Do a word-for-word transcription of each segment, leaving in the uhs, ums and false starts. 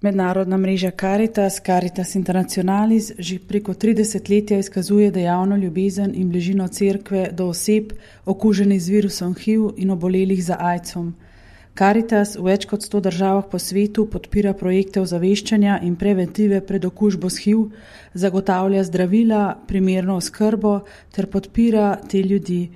Mednarodna mreža Caritas, Caritas Internationalis, že preko tri desetletja izkazuje dejavno ljubezen in bližino cerkve do oseb, okuženih z virusom H I V in obolelih za aidsom. Caritas v več kot sto državah po svetu podpira projekte ozaveščanja in preventive pred okužbo s H I V, zagotavlja zdravila, primerno oskrbo ter podpira te ljudi.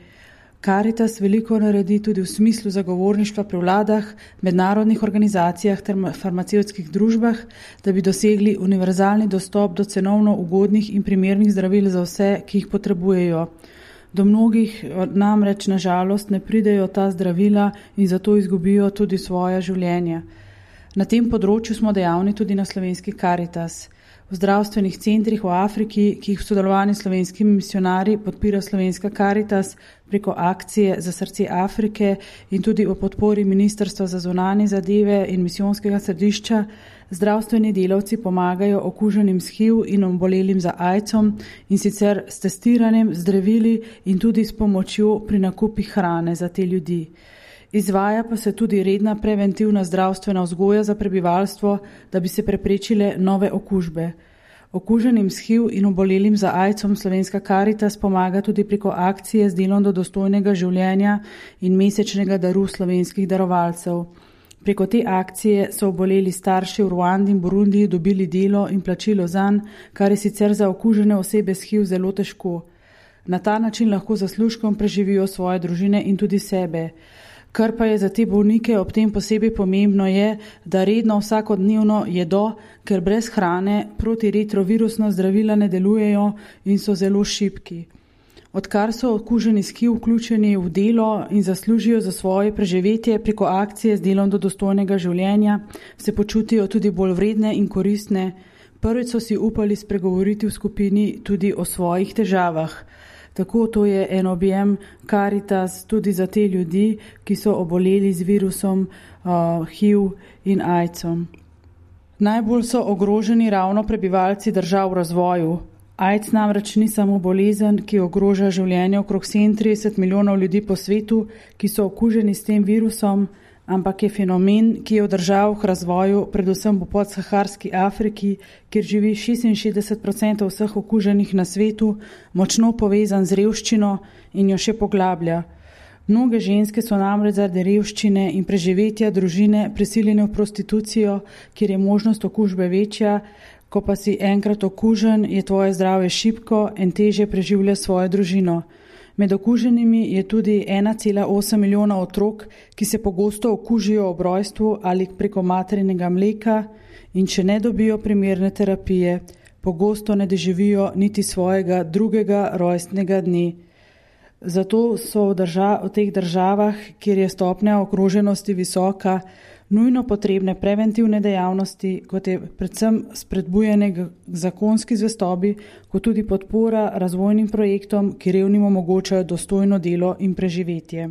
Caritas veliko naredi tudi v smislu zagovorništva pri vladah, mednarodnih organizacijah ter farmacevtskih družbah, da bi dosegli univerzalni dostop do cenovno ugodnih in primernih zdravil za vse, ki jih potrebujejo. Do mnogih namreč na žalost ne pridejo ta zdravila in zato izgubijo tudi svoje življenje. Na tem področju smo dejavni tudi na slovenski Caritas. V zdravstvenih centrih v Afriki, ki jih v sodelovanju s slovenskimi misionarji podpira slovenska Caritas preko akcije za srce Afrike in tudi o podpori Ministrstva za zunanje zadeve in misijonskega središča, zdravstveni delavci pomagajo okuženim s H I V in obolelim za aidsom in sicer s testiranjem, zdravili in tudi s pomočjo pri nakupih hrane za te ljudi. Izvaja pa se tudi redna preventivna zdravstvena vzgoja za prebivalstvo, da bi se preprečile nove okužbe. Okuženim s H I V in obolelim za aidsom slovenska Caritas pomaga tudi preko akcije z delom do dostojnega življenja in mesečnega daru slovenskih darovalcev. Preko te akcije so oboleli starši v Ruandi in Burundiji dobili delo in plačilo zanj, kar je sicer za okužene osebe s H I V zelo težko. Na ta način lahko zaslužkom preživijo svoje družine in tudi sebe. Kar pa je za te bolnike ob tem posebej pomembno je, da redno vsakodnevno jedo, ker brez hrane protiretrovirusna zdravila ne delujejo in so zelo šibki. Odkar so okuženi s H I V vključeni v delo in zaslužijo za svoje preživetje preko akcije z delom do dostojnega življenja, se počutijo tudi bolj vredne in koristne. Prvič so si upali spregovoriti v skupini tudi o svojih težavah. Tako to je en objem Caritas tudi za te ljudi, ki so oboleli z virusom uh, H I V in aidsom. Najbolj so ogroženi ravno prebivalci držav v razvoju. AIDS namreč ni samo bolezen, ki ogroža življenje okrog sedemintrideset milijonov ljudi po svetu, ki so okuženi s tem virusom, ampak je fenomen, ki je v državah v razvoju, predvsem v podsaharski Afriki, kjer živi šestinšestdeset odstotkov vseh okuženih na svetu, močno povezan z revščino in jo še poglablja. Mnoge ženske so namreč zaradi revščine in preživetja družine prisiljene v prostitucijo, kjer je možnost okužbe večja. Ko pa si enkrat okužen, je tvoje zdravje šibko in težje preživlja svojo družino. Med okuženimi je tudi ena cela osem milijona otrok, ki se pogosto okužijo ob rojstvu ali preko materinega mleka in če ne dobijo primerne terapije, pogosto ne doživijo niti svojega drugega rojstnega dne. Zato so v, držav, v teh državah, kjer je stopnja ogroženosti visoka, nujno potrebne preventivne dejavnosti, kot je predvsem spodbujanje k zakonski zvestobi, kot tudi podpora razvojnim projektom, ki revnim omogočajo dostojno delo in preživetje.